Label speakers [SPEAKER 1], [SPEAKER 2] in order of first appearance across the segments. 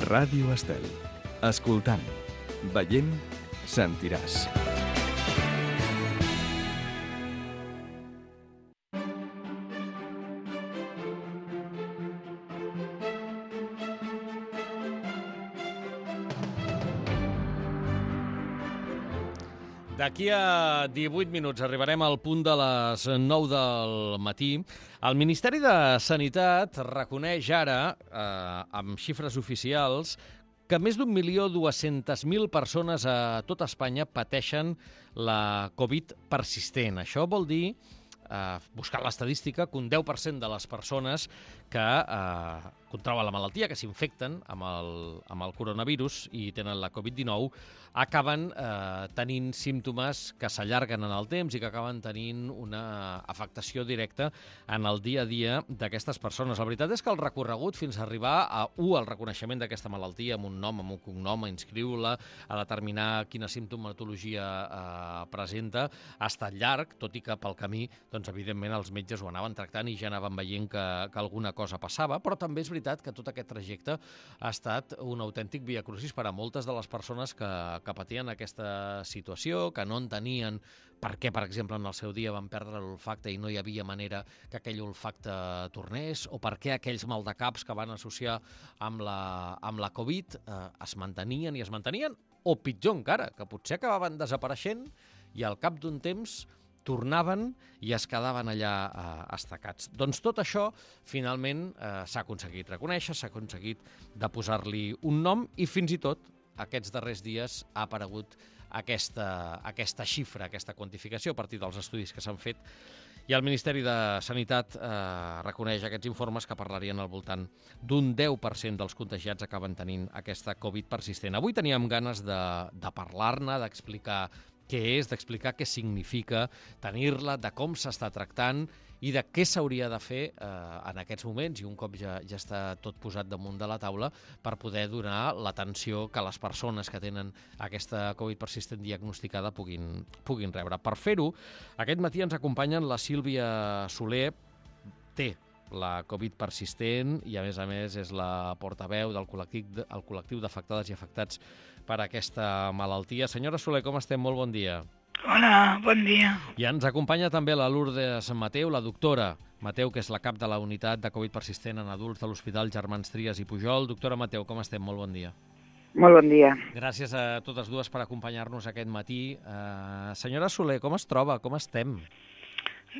[SPEAKER 1] Ràdio Estel. Escoltant, veient, sentiràs.
[SPEAKER 2] D'aquí a 18 minuts arribarem al punt de les 9 del matí. El Ministeri de Sanitat reconeix ara, amb xifres oficials, que més d'1.200.000 persones a tot Espanya pateixen la Covid persistent. Això vol dir, buscant l'estadística, que un 10% de les persones que contrauen la malaltia, que s'infecten amb el coronavirus i tenen la Covid-19, acaben tenint símptomes que s'allarguen en el temps i que acaben tenint una afectació directa en el dia a dia d'aquestes persones. La veritat és que el recorregut fins a arribar al reconeixement d'aquesta malaltia amb un nom, amb un cognom, a inscriure-la, a determinar quina simptomatologia presenta, ha estat llarg, tot i que pel camí, doncs, evidentment, els metges ho anaven tractant i ja anaven veient que alguna cosa passava, però també és veritat que tot aquest trajecte ha estat un autèntic viacrucis per a moltes de les persones que patien aquesta situació, que no entenien per què, per exemple, en el seu dia van perdre l'olfacte i no hi havia manera que aquell olfacte tornés, o per què aquells maldecaps que van associar amb la Covid es mantenien, o pitjor encara, que potser acabaven desapareixent i al cap d'un temps tornaven i es quedaven allà estacats. Doncs tot això, finalment, s'ha aconseguit reconèixer, s'ha aconseguit de posar-li un nom i fins i tot aquests darrers dies ha aparegut aquesta xifra, aquesta quantificació a partir dels estudis que s'han fet, i el Ministeri de Sanitat reconeix aquests informes que parlarien al voltant d'un 10% dels contagiats acaben tenint aquesta Covid persistent. Avui teníem ganes de parlar-ne, d'explicar què és, d'explicar què significa tenir-la, de com s'està tractant i de què s'hauria de fer en aquests moments, i un cop ja està tot posat damunt de la taula, per poder donar l'atenció que les persones que tenen aquesta Covid persistent diagnosticada puguin rebre. Per fer-ho, aquest matí ens acompanyen la Sílvia Soler, té la Covid persistent i, a més, és la portaveu del col·lectiu d'afectades i afectats per aquesta malaltia. Senyora Soler, com estem? Molt bon dia.
[SPEAKER 3] Hola, bon dia.
[SPEAKER 2] I ens acompanya també la Lourdes Mateu, la doctora Mateu, que és la cap de la unitat de Covid persistent en adults de l'Hospital Germans Trias i Pujol. Doctora Mateu, com estem? Molt bon dia.
[SPEAKER 3] Molt bon dia.
[SPEAKER 2] Gràcies a totes dues per acompanyar-nos aquest matí. Senyora Soler, com es troba? Com estem?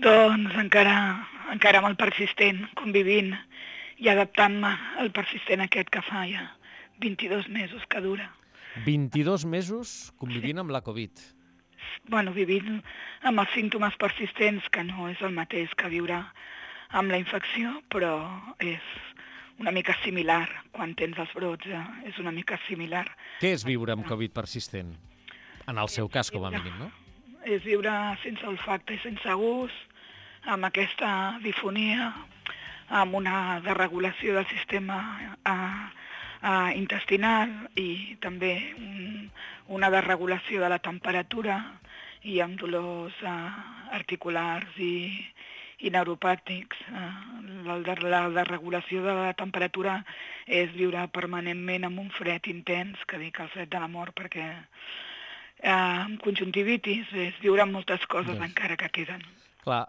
[SPEAKER 3] Doncs encara amb el persistent, convivint i adaptant-me al persistent aquest que fa ja 22 mesos que dura.
[SPEAKER 2] 22 mesos convivint amb la Covid.
[SPEAKER 3] Bueno, vivint amb els símptomes persistents, que no és el mateix que viure amb la infecció, però és una mica similar. Quan tens els brots és una mica similar.
[SPEAKER 2] Què és viure amb Covid persistent? En el seu cas, com a mínim, no?
[SPEAKER 3] És viure sense olfacte i sense gust, amb aquesta difonia, amb una desregulació del sistema intestinal i també una desregulació de la temperatura i amb dolors articulars i neuropàtics. La desregulació de la temperatura és viure permanentment amb un fred intens, que dic el fred de la mort, perquè amb conjuntivitis és viure amb moltes coses encara que queden.
[SPEAKER 2] Clar,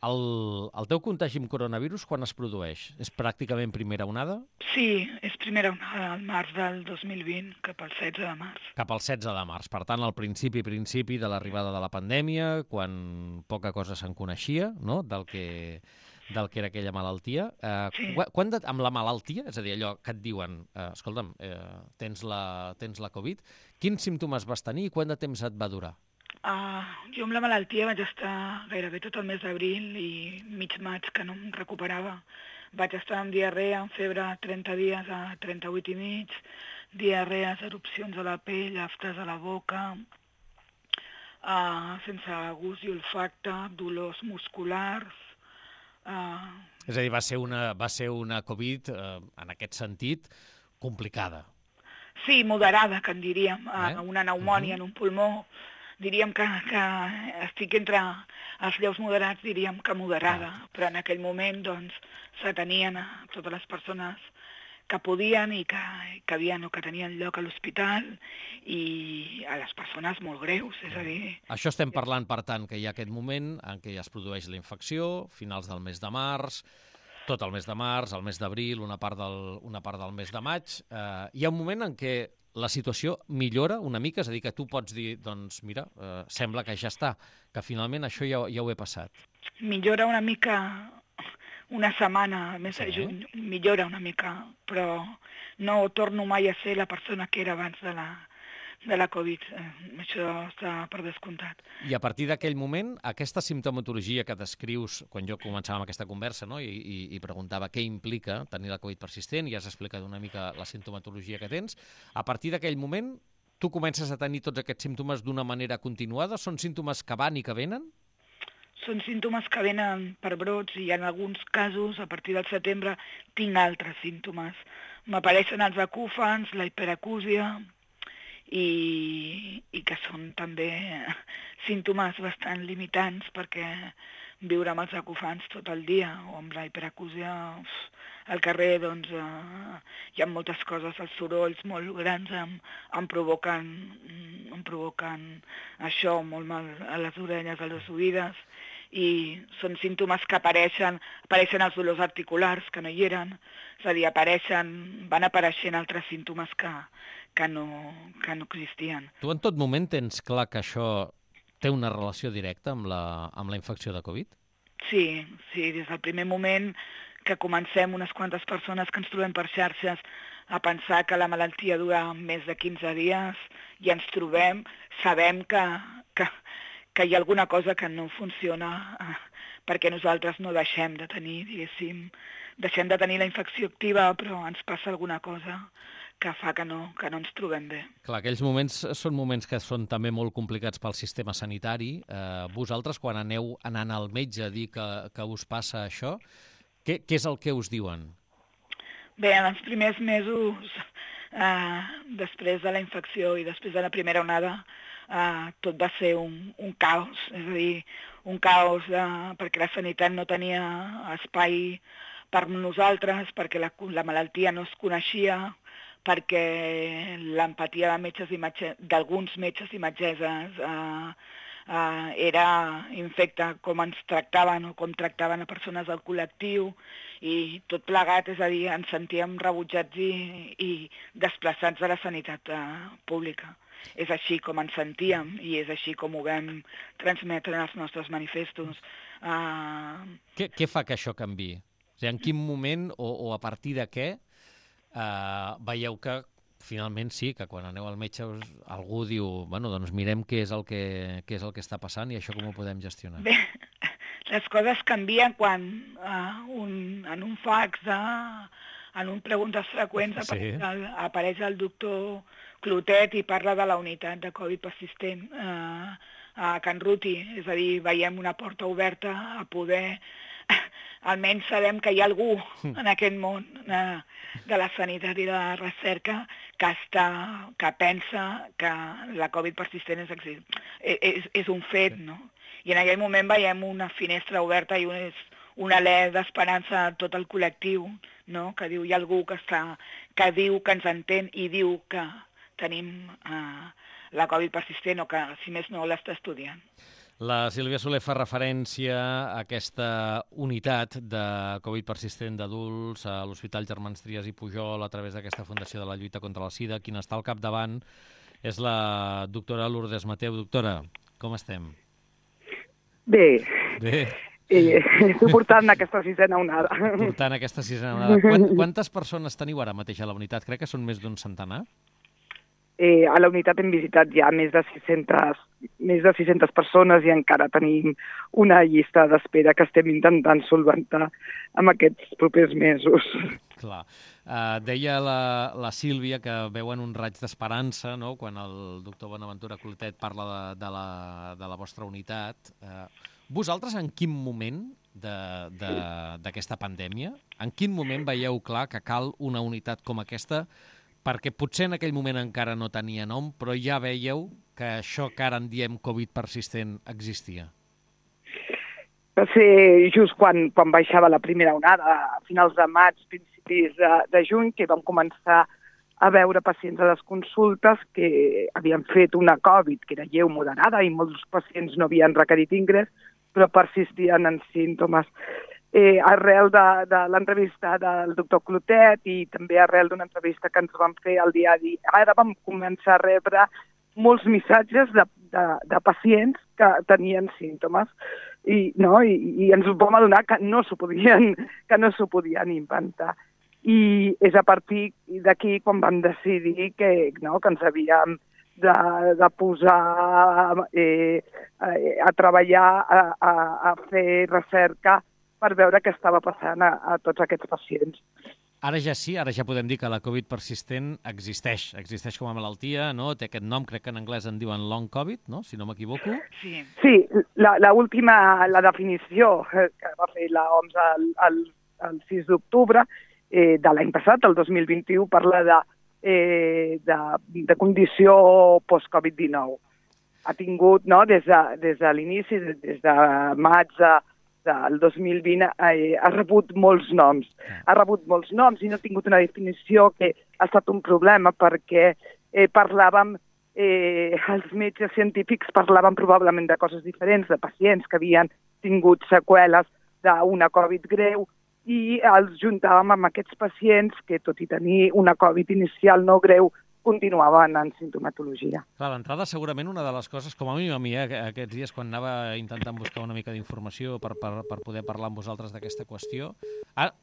[SPEAKER 2] el teu contagi amb coronavirus quan es produeix? És pràcticament primera onada?
[SPEAKER 3] Sí, és primera onada al març del 2020, cap al 16 de març.
[SPEAKER 2] Cap al 16 de març. Per tant, al principi de l'arribada de la pandèmia, quan poca cosa se'n coneixia, no?, del que era aquella malaltia.
[SPEAKER 3] Sí.
[SPEAKER 2] Amb la malaltia, és a dir, allò que et diuen, escolta'm, tens la Covid, quins símptomes vas tenir i quant de temps et va durar?
[SPEAKER 3] Jo amb la malaltia vaig estar gairebé tot el mes d'abril i mig maig, que no em recuperava. Vaig estar amb diarrea, amb febre 30 dies a 38 i mig, diarrees, erupcions a la pell, aftes a la boca, sense gust i olfacte, dolors musculars.
[SPEAKER 2] És a dir, va ser una Covid, en aquest sentit, complicada.
[SPEAKER 3] Sí, moderada, que en diríem. Una pneumònia en un pulmó. Diríem que estic entre els lleus moderats, diríem que moderada, però en aquell moment doncs s'atenien a totes les persones que podien i que havien o que tenien lloc a l'hospital, i a les persones molt greus, és a dir...
[SPEAKER 2] Això estem parlant, per tant, que hi ha aquest moment en què es produeix la infecció, finals del mes de març, tot el mes de març, el mes d'abril, una part del mes de maig. Hi ha un moment en què la situació millora una mica, és a dir, que tu pots dir, doncs mira, sembla que ja està, que finalment això ja ho he passat.
[SPEAKER 3] Millora una mica una setmana, més de juny, millora una mica, però no torno mai a ser la persona que era abans de la Covid. Això està per descomptat.
[SPEAKER 2] I a partir d'aquell moment, aquesta simptomatologia que descrius quan jo començava amb aquesta conversa, no? I preguntava què implica tenir la Covid persistent, i has explicat una mica la simptomatologia que tens, a partir d'aquell moment tu comences a tenir tots aquests símptomes d'una manera continuada? Són símptomes que van i que venen?
[SPEAKER 3] Són símptomes que venen per brots, i en alguns casos, a partir del setembre, tinc altres símptomes. M'apareixen els acúfens, la hiperacúsia, i que són també símptomes bastant limitants, perquè viure amb els acúfens tot el dia o amb la hiperacúsia al carrer, doncs hi ha moltes coses, els sorolls molt grans em provoquen això, molt mal a les orelles, a les oïdes, i són símptomes que apareixen els dolors articulars, que no hi eren, és a dir, van apareixent altres símptomes que no existien.
[SPEAKER 2] Tu en tot moment tens clar que això té una relació directa amb la infecció de Covid?
[SPEAKER 3] Sí, des del primer moment que comencem unes quantes persones que ens trobem per xarxes a pensar que la malaltia dura més de 15 dies i ens trobem, sabem que hi ha alguna cosa que no funciona perquè nosaltres no deixem de tenir, diguéssim, la infecció activa, però ens passa alguna cosa que fa que no ens trobem bé.
[SPEAKER 2] Clar, aquells moments són moments que són també molt complicats pel sistema sanitari. Vosaltres, quan aneu anant al metge a dir que us passa això, què és el que us diuen?
[SPEAKER 3] Bé, en els primers mesos, després de la infecció i després de la primera onada, tot va ser un caos, és a dir, un caos perquè la sanitat no tenia espai per nosaltres, perquè la malaltia no es coneixia, perquè l'empatia d'alguns metges i metgesses era infecta, com ens tractaven o com tractaven a persones del col·lectiu, i tot plegat, és a dir, ens sentíem rebutjats i desplaçats de la sanitat pública. És així com ens sentíem i és així com ho vam transmetre en els nostres manifestos.
[SPEAKER 2] Què fa que això canviï? O sigui, en quin moment o a partir de què veieu que finalment sí, que quan aneu al metge algú diu, bueno, doncs mirem què és el que està passant i això com ho podem gestionar?
[SPEAKER 3] Bé, les coses canvien quan en un fax, en un preguntes freqüents, apareix el doctor Clotet i parla de la unitat de Covid persistent a Can Ruti, és a dir, veiem una porta oberta a poder... Almenys sabem que hi ha algú en aquest món de la sanitat i de la recerca que pensa que la Covid persistent és un fet, no? I en aquell moment veiem una finestra oberta i un alè d'esperança a tot el col·lectiu, no? Que diu, hi ha algú que diu que ens entén i diu que tenim la Covid persistent o que, si més no, l'està estudiant.
[SPEAKER 2] La Sílvia Soler fa referència a aquesta unitat de Covid persistent d'adults a l'Hospital Germans Trias i Pujol a través d'aquesta Fundació de la Lluita contra la Sida. Qui n'està al capdavant és la doctora Lourdes Mateu. Doctora, com estem?
[SPEAKER 4] Bé.
[SPEAKER 2] Suportant
[SPEAKER 4] aquesta sisena onada.
[SPEAKER 2] Suportant aquesta sisena onada. Quantes persones teniu ara mateix a la unitat? Crec que són més d'un centenar.
[SPEAKER 4] A la unitat hem visitat ja més de 600 persones i encara tenim una llista d'espera que estem intentant solventar en aquests propers mesos.
[SPEAKER 2] Clar. Deia la Sílvia que veuen un raig d'esperança, no?, quan el doctor Bonaventura Clotet parla de la vostra unitat. Vosaltres en quin moment d'aquesta pandèmia, en quin moment veieu clar que cal una unitat com aquesta? Perquè potser en aquell moment encara no tenia nom, però ja veieu que això que ara en diem Covid persistent existia.
[SPEAKER 4] Va ser just quan baixava la primera onada, a finals de maig, principis de juny, que vam començar a veure pacients a les consultes que havien fet una Covid, que era lleu moderada, i molts pacients no havien requerit ingrés, però persistien en símptomes. Arrel de l'entrevista del doctor Clotet i també arrel d'una entrevista que ens vam fer al diari, ara vam començar a rebre molts missatges de pacients que tenien símptomes i ens vam adonar que no s'ho podien inventar. I és a partir d'aquí quan vam decidir que ens havíem de posar a treballar, a fer recerca per veure què estava passant a tots aquests pacients.
[SPEAKER 2] Ara ja sí, ara ja podem dir que la Covid persistent existeix com a malaltia, no? Té aquest nom, crec que en anglès en diuen long Covid, no? Si no m'equivoco.
[SPEAKER 4] Sí, la definició que va fer l'OMS el 6 d'octubre de l'any passat, el 2021, parla de condició post-Covid-19. Ha tingut, des de l'inici, des de maig del 2020, ha rebut molts noms. Ha rebut molts noms i no ha tingut una definició, que ha estat un problema perquè els metges científics parlaven probablement de coses diferents, de pacients que havien tingut seqüeles d'una Covid greu, i els juntàvem amb aquests pacients que, tot i tenir una Covid inicial no greu, continuaven en sintomatologia.
[SPEAKER 2] Clar, d'entrada, segurament una de les coses, com a mínim a mi, aquests dies quan anava intentant buscar una mica d'informació per poder parlar amb vosaltres d'aquesta qüestió,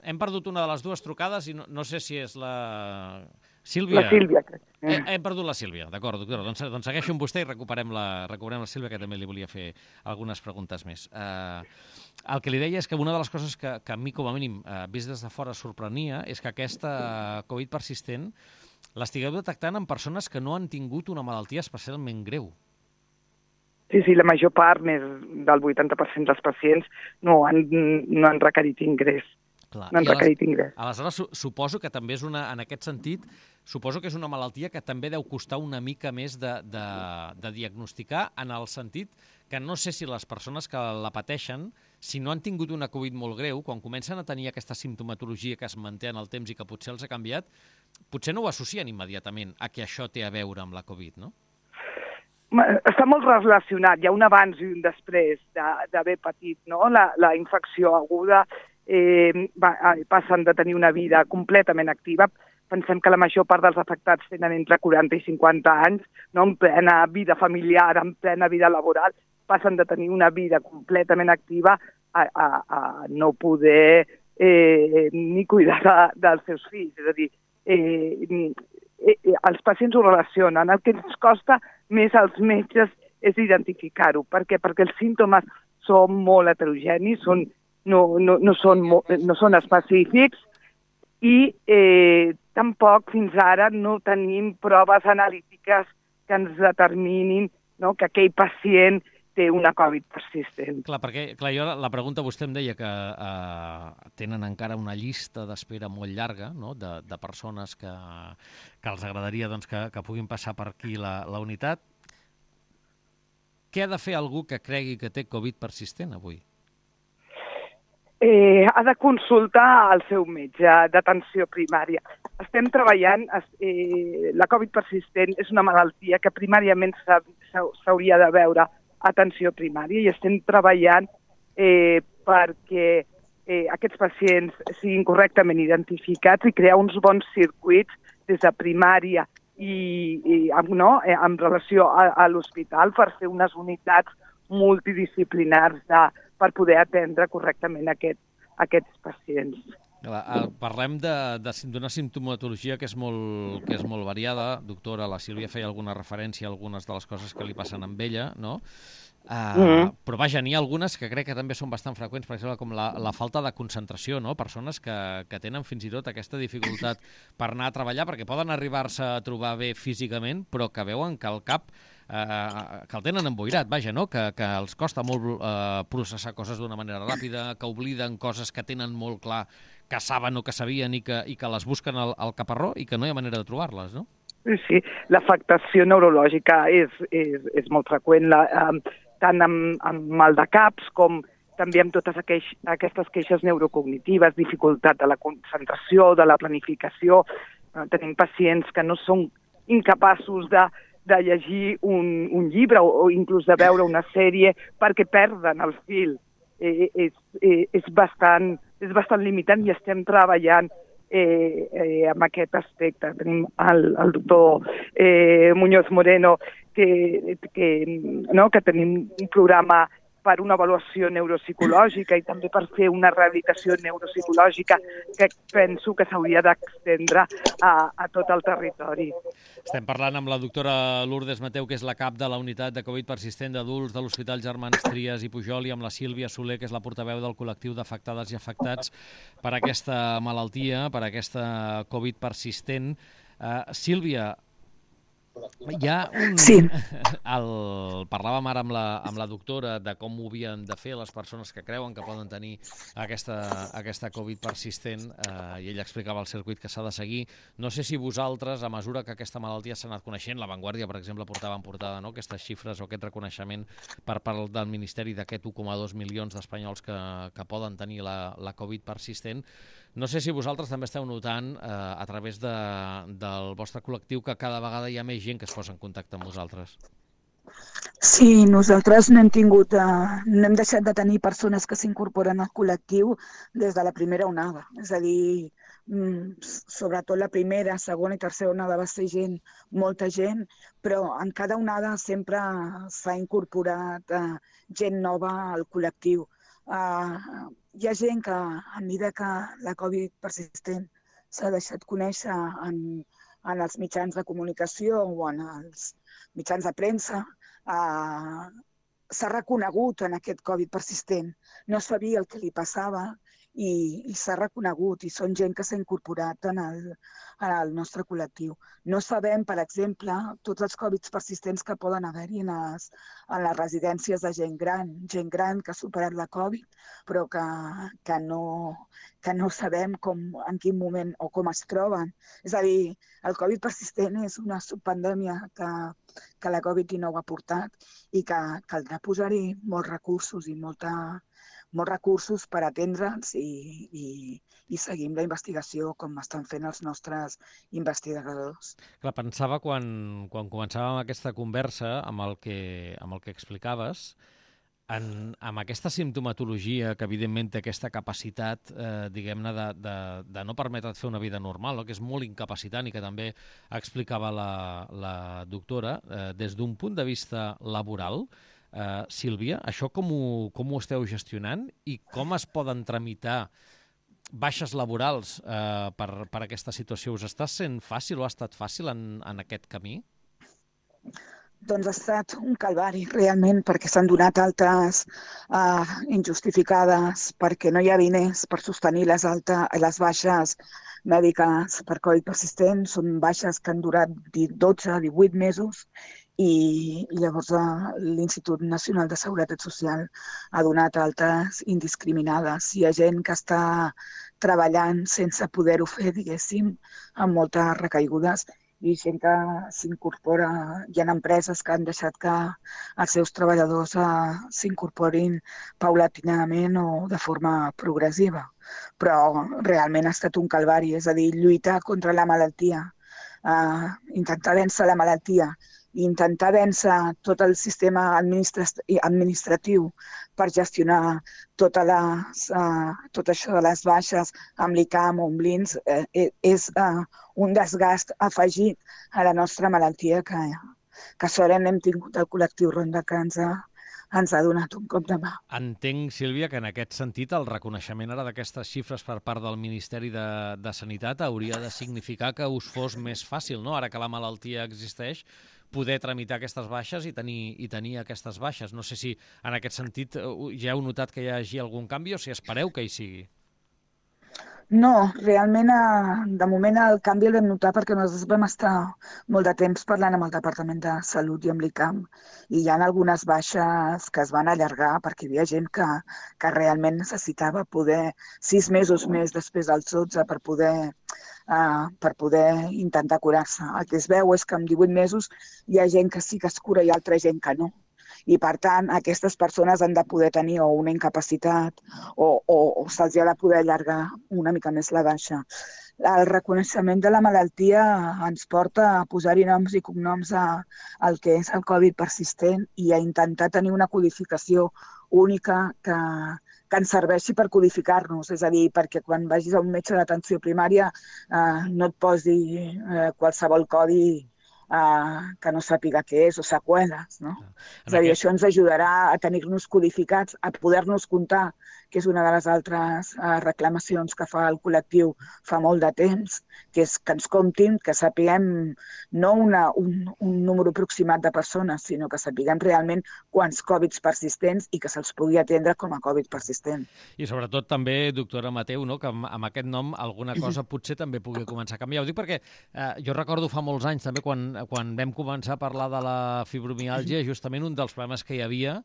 [SPEAKER 2] hem perdut una de les dues trucades i no sé si és la Sílvia.
[SPEAKER 4] La Sílvia, crec.
[SPEAKER 2] Hem perdut la Sílvia, d'acord, doctora. Doncs segueixo amb vostè i recuperem la Sílvia, que també li volia fer algunes preguntes més. El que li deia és que una de les coses que a mi, com a mínim, vist des de fora, sorprenia, és que aquesta Covid persistent l'estigueu detectant en persones que no han tingut una malaltia especialment greu.
[SPEAKER 4] Sí, la major part, més del 80% dels pacients, no han requerit ingrés.
[SPEAKER 2] Clar.
[SPEAKER 4] No han requerit ingrés.
[SPEAKER 2] Aleshores, suposo que també és en aquest sentit, suposo que és una malaltia que també deu costar una mica més de diagnosticar, en el sentit que no sé si les persones que la pateixen, si no han tingut una Covid molt greu, quan comencen a tenir aquesta simptomatologia que es manté en el temps i que potser els ha canviat, potser no ho associen immediatament a que això té a veure amb la Covid, no?
[SPEAKER 4] Està molt relacionat, hi ha un abans i un després d'haver patit, no? La infecció aguda, passen de tenir una vida completament activa. Pensem que la major part dels afectats tenen entre 40 i 50 anys, no? En plena vida familiar, en plena vida laboral, passen de tenir una vida completament activa a no poder ni cuidar dels seus fills. És a dir, els pacients ho relacionen. El que ens costa més als metges és identificar-ho. Per què? Perquè els símptomes són molt heterogenis, no són específics i tampoc fins ara no tenim proves analítiques que ens determinin, no, que aquell pacient té una Covid persistent.
[SPEAKER 2] Clar, perquè la pregunta, vostè em deia que tenen encara una llista d'espera molt llarga, no?, de persones que els agradaria que puguin passar per aquí la unitat. Què ha de fer algú que cregui que té Covid persistent avui?
[SPEAKER 4] Ha de consultar el seu metge d'atenció primària. Estem treballant, la Covid persistent és una malaltia que primàriament s'hauria de veure atenció primària i estem treballant perquè aquests pacients siguin correctament identificats i crear uns bons circuits des de primària i en relació a l'hospital per fer unes unitats multidisciplinars per poder atendre correctament aquests pacients.
[SPEAKER 2] Parlem d'una simptomatologia que és molt variada. Doctora, la Sílvia feia alguna referència a algunes de les coses que li passen amb ella, no? Però vaja, n'hi ha algunes que crec que també són bastant freqüents, per exemple, com la falta de concentració, no? Persones que tenen fins i tot aquesta dificultat per anar a treballar, perquè poden arribar-se a trobar bé físicament, però que veuen que el cap que el tenen emboirat, vaja, no? Que els costa molt processar coses d'una manera ràpida, que obliden coses que tenen molt clar, que saben o que sabien i que les busquen al caparró i que no hi ha manera de trobar-les, no?
[SPEAKER 4] Sí, l'afectació neurològica és molt freqüent, tant amb mal de caps com també amb totes aquestes queixes neurocognitives, dificultat de la concentració, de la planificació. Tenim pacients que no són incapaços de llegir un llibre o inclús de veure una sèrie perquè perden el fil. És bastant limitant i estem treballant amb aquest aspecte. Tenim el doctor Muñoz Moreno que tenim un programa per una avaluació neuropsicològica i també per fer una rehabilitació neuropsicològica que penso que s'hauria d'extendre a tot el territori.
[SPEAKER 2] Estem parlant amb la doctora Lourdes Mateu, que és la cap de la unitat de Covid persistent d'adults de l'Hospital Germans Trias i Pujol, i amb la Sílvia Soler, que és la portaveu del col·lectiu d'afectades i afectats per aquesta malaltia, per aquesta Covid persistent. Sílvia, hi ha un...
[SPEAKER 5] Sí.
[SPEAKER 2] Parlàvem ara amb la doctora de com ho havien de fer les persones que creuen que poden tenir aquesta Covid persistent, i ella explicava el circuit que s'ha de seguir. No sé si vosaltres, a mesura que aquesta malaltia s'ha anat coneixent, La Vanguardia, per exemple, portava en portada, no?, aquestes xifres o aquest reconeixement per part del Ministeri d'aquest 1,2 milions d'espanyols que poden tenir la Covid persistent. No sé si vosaltres també esteu notant, a través del vostre col·lectiu, que cada vegada hi ha més gent que es posa en contacte amb vosaltres.
[SPEAKER 5] Sí, nosaltres no hem deixat de tenir persones que s'incorporen al col·lectiu des de la primera onada. És a dir, sobretot la primera, segona i tercera onada va ser molta gent, però en cada onada sempre s'ha incorporat gent nova al col·lectiu. Hi ha gent que, a mesura que la Covid persistent s'ha deixat conèixer en els mitjans de comunicació o en els mitjans de premsa, s'ha reconegut en aquest Covid persistent. No sabia el que li passava i s'ha reconegut, i són gent que s'ha incorporat en el nostre col·lectiu. No sabem, per exemple, tots els Covids persistents que poden haver-hi en les residències de gent gran que ha superat la Covid, però que no sabem en quin moment o com es troben. És a dir, el Covid persistent és una subpandèmia que la Covid-19 ha portat i que caldrà posar-hi molts recursos i molts recursos per atendre'ns i seguir amb la investigació com estan fent els nostres investigadors.
[SPEAKER 2] Clar, pensava quan començàvem aquesta conversa amb el que explicaves, amb aquesta simptomatologia que evidentment té aquesta capacitat, diguem-ne, de no permetre't fer una vida normal, no?, que és molt incapacitant i que també explicava la doctora, des d'un punt de vista laboral. Sílvia, això com ho esteu gestionant i com es poden tramitar baixes laborals per aquesta situació? Us està sent fàcil o ha estat fàcil en aquest camí?
[SPEAKER 5] Doncs ha estat un calvari, realment, perquè s'han donat altes injustificades, perquè no hi ha diners per sostenir les baixes mèdiques per Covid persistent. Són baixes que han durat 12-18 mesos i llavors l'Institut Nacional de Seguretat Social ha donat altes indiscriminades. Hi ha gent que està treballant sense poder-ho fer, diguéssim, amb moltes recaigudes, i gent que s'incorpora. Hi ha empreses que han deixat que els seus treballadors s'incorporin paulatinament o de forma progressiva. Però realment ha estat un calvari, és a dir, lluitar contra la malaltia, intentar vèncer la malaltia, intentar vèncer tot el sistema administratiu per gestionar tot això de les baixes amb l'ICAM o amb l'INS, és un desgast afegit a la nostra malaltia que sort hem tingut el col·lectiu Ronda, que ens ha donat un cop de mà.
[SPEAKER 2] Entenc, Sílvia, que en aquest sentit el reconeixement ara d'aquestes xifres per part del Ministeri de Sanitat hauria de significar que us fos més fàcil, no?, ara que la malaltia existeix, poder tramitar aquestes baixes i tenir aquestes baixes. No sé si en aquest sentit ja heu notat que hi hagi algun canvi o si espereu que hi sigui.
[SPEAKER 5] No, realment, de moment el canvi el vam notar perquè nosaltres vam estar molt de temps parlant amb el Departament de Salut i amb l'ICAM, i hi ha algunes baixes que es van allargar perquè hi havia gent que realment necessitava poder 6 mesos més després dels 12 per poder intentar curar-se. El que es veu és que en 18 mesos hi ha gent que sí que es cura i altra gent que no. I, per tant, aquestes persones han de poder tenir o una incapacitat o se'ls ha de poder allargar una mica més la baixa. El reconeixement de la malaltia ens porta a posar-hi noms i cognoms al que és el Covid persistent i a intentar tenir una codificació única que ens serveixi per codificar-nos. És a dir, perquè quan vagis a un metge d'atenció primària no et posi qualsevol codi que no sàpiga què és o seqüeles, no? És a dir, això ens ajudarà a tenir-nos codificats, a poder-nos comptar, que és una de les altres reclamacions que fa el col·lectiu fa molt de temps, que és que ens comptin, que sapiguem no un número aproximat de persones, sinó que sapiguem realment quants Covids persistents i que se'ls pugui atendre com a Covid persistent.
[SPEAKER 2] I sobretot també, doctora Mateu, no? Que amb aquest nom alguna cosa potser també pugui començar a canviar. Ho dic perquè jo recordo fa molts anys també quan vam començar a parlar de la fibromiàlgia, justament un dels problemes que hi havia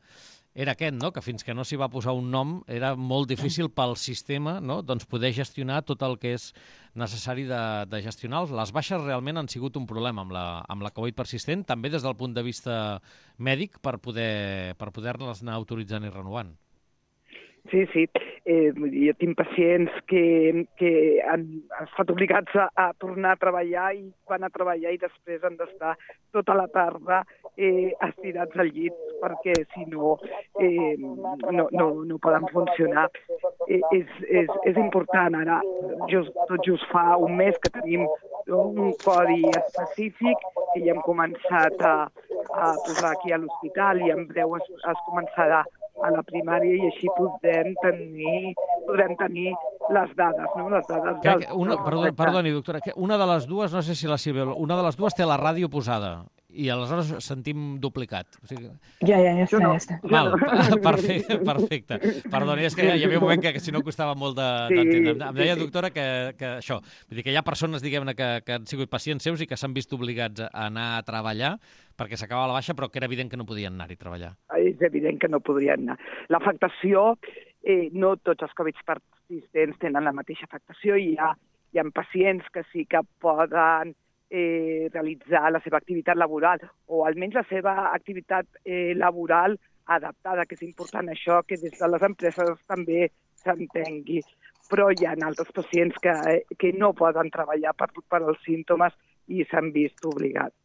[SPEAKER 2] era aquest, no? Que fins que no s'hi va posar un nom era molt difícil pel sistema, no? Doncs poder gestionar tot el que és necessari de gestionar. Les baixes realment han sigut un problema amb la Covid persistent, també des del punt de vista mèdic, per poder-les anar autoritzant i renovant.
[SPEAKER 4] Sí. Jo tinc pacients que han estat obligats a tornar a treballar i van a treballar i després han d'estar tota la tarda estirats al llit perquè si no no poden funcionar. És important ara, tot just fa un mes que tenim un codi específic que ja hem començat a posar aquí a l'hospital i en breu es començarà a la primària i així podrem tenir les dades, no? Les dades
[SPEAKER 2] Perdoni, doctora, una de les dues, no sé si la Sílvia, una de les dues té la ràdio posada i aleshores sentim duplicat. O sigui...
[SPEAKER 5] Ja està.
[SPEAKER 2] Val, perfecte. Perdoni, és que hi havia un moment que si no costava molt d'entendre. Em deia, doctora, que això, vull dir que hi ha persones, diguem-ne, que han sigut pacients seus i que s'han vist obligats a anar a treballar perquè s'acabava la baixa, però que era evident que no podien anar-hi a treballar.
[SPEAKER 4] És evident que no podrien anar. L'afectació, no tots els Covid persistents tenen la mateixa afectació i hi ha pacients que sí que poden realitzar la seva activitat laboral o almenys la seva activitat laboral adaptada, que és important això, que des de les empreses també s'entengui. Però hi ha altres pacients que no poden treballar per els símptomes i s'han vist obligats.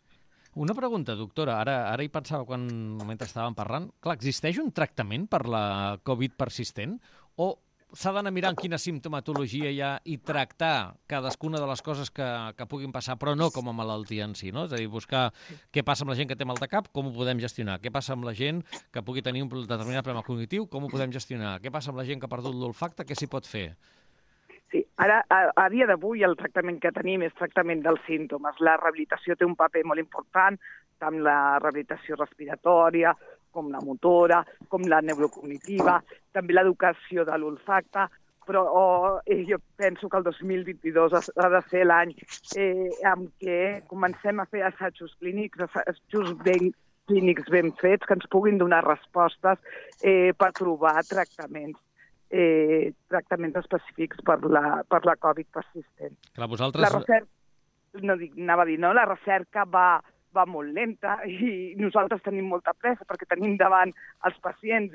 [SPEAKER 2] Una pregunta, doctora. Ara hi pensava mentre estàvem parlant. Clar, existeix un tractament per la Covid persistent o s'ha d'anar mirant quina simptomatologia hi ha i tractar cadascuna de les coses que puguin passar, però no com a malaltia en si, no? És a dir, buscar què passa amb la gent que té mal de cap, com ho podem gestionar, què passa amb la gent que pugui tenir un determinat problema cognitiu, com ho podem gestionar, què passa amb la gent que ha perdut l'olfacte, què s'hi pot fer?
[SPEAKER 4] Sí, ara, a dia d'avui, el tractament que tenim és tractament dels símptomes. La rehabilitació té un paper molt important, tant la rehabilitació respiratòria, com la motora, com la neurocognitiva, també l'educació de l'olfacte, però jo penso que el 2022 ha de ser l'any en què comencem a fer assajos clínics, clínics ben fets, que ens puguin donar respostes per trobar tractaments específics per la Covid persistent.
[SPEAKER 2] Clar, vosaltres...
[SPEAKER 4] La recerca va molt lenta i nosaltres tenim molta pressa perquè tenim davant els pacients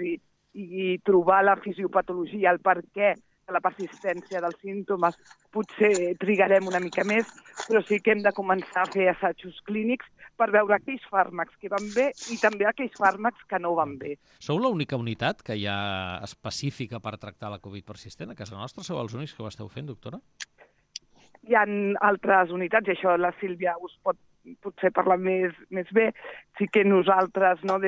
[SPEAKER 4] i trobar la fisiopatologia, el per què de la persistència dels símptomes, potser trigarem una mica més, però sí que hem de començar a fer assajos clínics per veure aquells fàrmacs que van bé i també aquells fàrmacs que no van bé.
[SPEAKER 2] Sou l'única unitat que hi ha específica per tractar la Covid persistent a casa nostra? Sou els únics que ho esteu fent, doctora?
[SPEAKER 4] Hi ha altres unitats, i això la Sílvia us pot potser parlar més bé. Sí que nosaltres, no,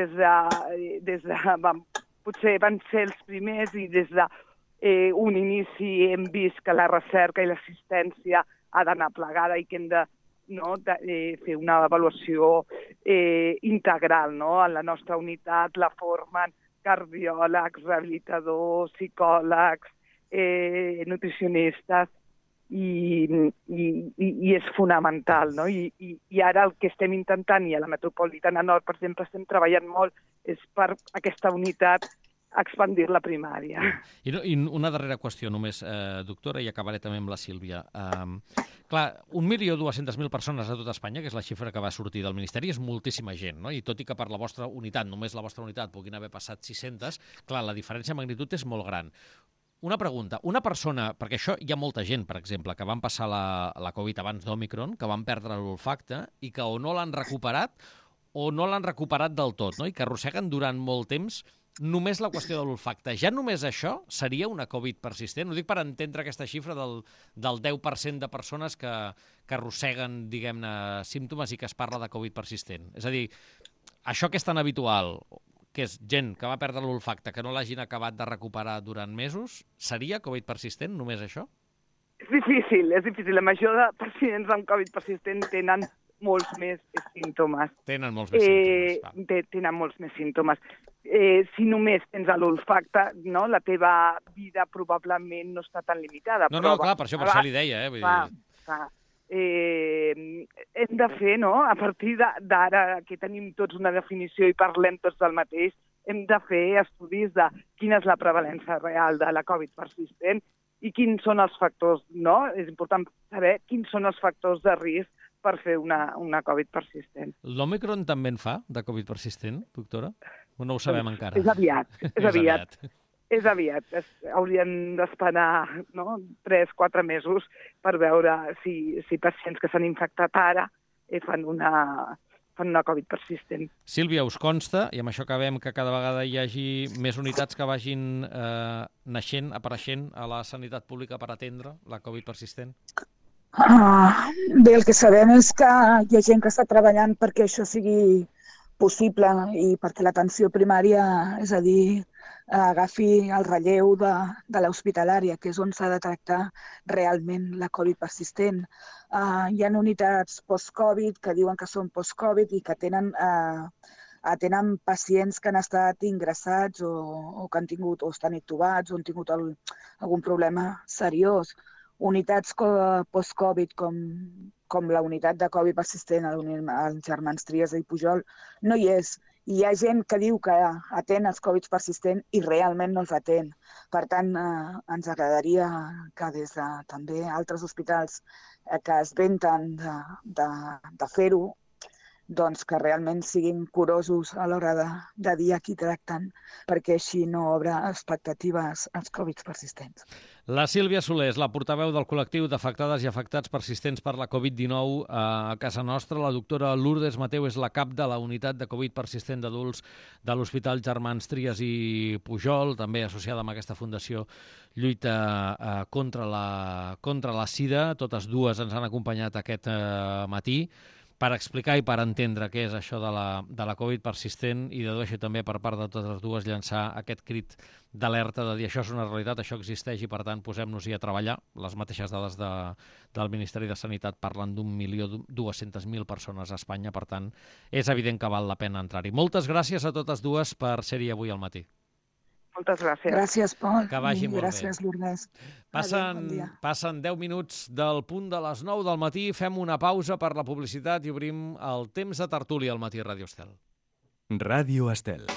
[SPEAKER 4] potser van ser els primers i des d'un inici hem vist que la recerca i l'assistència ha d'anar plegada i que hem de fer una avaluació integral. No? En la nostra unitat la formen cardiòlegs, rehabilitadors, psicòlegs, nutricionistes, i és fonamental, no? I ara el que estem intentant, i a la Metropolitana Nord, per exemple, estem treballant molt, és per aquesta unitat expandir la primària.
[SPEAKER 2] I una darrera qüestió només, doctora, i acabaré també amb la Sílvia. Clar, 1.200.000 persones a tot Espanya, que és la xifra que va sortir del Ministeri, és moltíssima gent, no? I tot i que per la vostra unitat, només la vostra unitat, puguin haver passat 600, clar, la diferència de magnitud és molt gran. Una pregunta, una persona, perquè això hi ha molta gent, per exemple, que van passar la Covid abans d'Omicron, que van perdre l'olfacte i que o no l'han recuperat o no l'han recuperat del tot, no? I que arrosseguen durant molt temps només la qüestió de l'olfacte. Ja només això seria una Covid persistent? Ho dic per entendre aquesta xifra del 10% de persones que arrosseguen, diguem-ne, símptomes i que es parla de Covid persistent. És a dir, això que és tan habitual, que és gent que va perdre l'olfacte, que no l'hagin acabat de recuperar durant mesos, seria Covid persistent, només això?
[SPEAKER 4] És difícil. La major de pacients amb Covid persistent tenen molts més símptomes.
[SPEAKER 2] Tenen molts més símptomes.
[SPEAKER 4] Tenen molts més símptomes. Si només tens l'olfacte, no, la teva vida probablement no està tan limitada.
[SPEAKER 2] No, clar, per això li deia. Vull dir...
[SPEAKER 4] Hem de fer, no?, a partir d'ara que tenim tots una definició i parlem tots del mateix, hem de fer estudis de quina és la prevalença real de la Covid persistent i quins són els factors, no? És important saber quins són els factors de risc per fer una Covid persistent.
[SPEAKER 2] L'Omicron també en fa, de Covid persistent, doctora? O no ho sabem encara?
[SPEAKER 4] És aviat. Haurien d'esperar, no?, 3-4 mesos per veure si pacients que s'han infectat ara fan una Covid persistent.
[SPEAKER 2] Sílvia, us consta, i amb això acabem, que cada vegada hi hagi més unitats que vagin apareixent a la sanitat pública per atendre la Covid persistent?
[SPEAKER 5] Bé, el que sabem és que hi ha gent que està treballant perquè això sigui possible i perquè l'atenció primària, és a dir, agafi el relleu de l'hospitalària, que és on s'ha de tractar realment la Covid persistent. Hi ha unitats post-Covid que diuen que són post-Covid i que atenen pacients que han estat ingressats o que han tingut o estan intubats o han tingut algun problema seriós. Unitats post-Covid com la unitat de Covid persistent als Germans Trias i Pujol no hi és. Hi ha gent que diu que atén els Covid persistents i realment no els atén. Per tant, ens agradaria que des de també altres hospitals que es venten de fer-ho, doncs que realment siguin curosos a l'hora de dir a qui tracten, perquè així no obre expectatives als Covid persistents.
[SPEAKER 2] La Sílvia Soler és la portaveu del col·lectiu d'afectades i afectats persistents per la Covid-19 a casa nostra. La doctora Lourdes Mateu és la cap de la unitat de Covid persistent d'adults de l'Hospital Germans Trias i Pujol, també associada amb aquesta fundació Lluita contra la Sida. Totes dues ens han acompanyat aquest matí per explicar i per entendre què és això de la Covid persistent i dedueixo també per part de totes dues llançar aquest crit d'alerta de dir això és una realitat, això existeix i per tant posem-nos-hi a treballar. Les mateixes dades del Ministeri de Sanitat parlen d'1.200.000 persones a Espanya, per tant és evident que val la pena entrar-hi. Moltes gràcies a totes dues per ser-hi avui al matí.
[SPEAKER 4] Moltes gràcies.
[SPEAKER 5] Gràcies, Pol.
[SPEAKER 2] Que vagi molt bé.
[SPEAKER 5] Gràcies, Lourdes.
[SPEAKER 2] Passen 10 minuts del punt de les 9 del matí, fem una pausa per la publicitat i obrim el temps de tertúlia al Matí Ràdio Estel.
[SPEAKER 1] Ràdio Estel.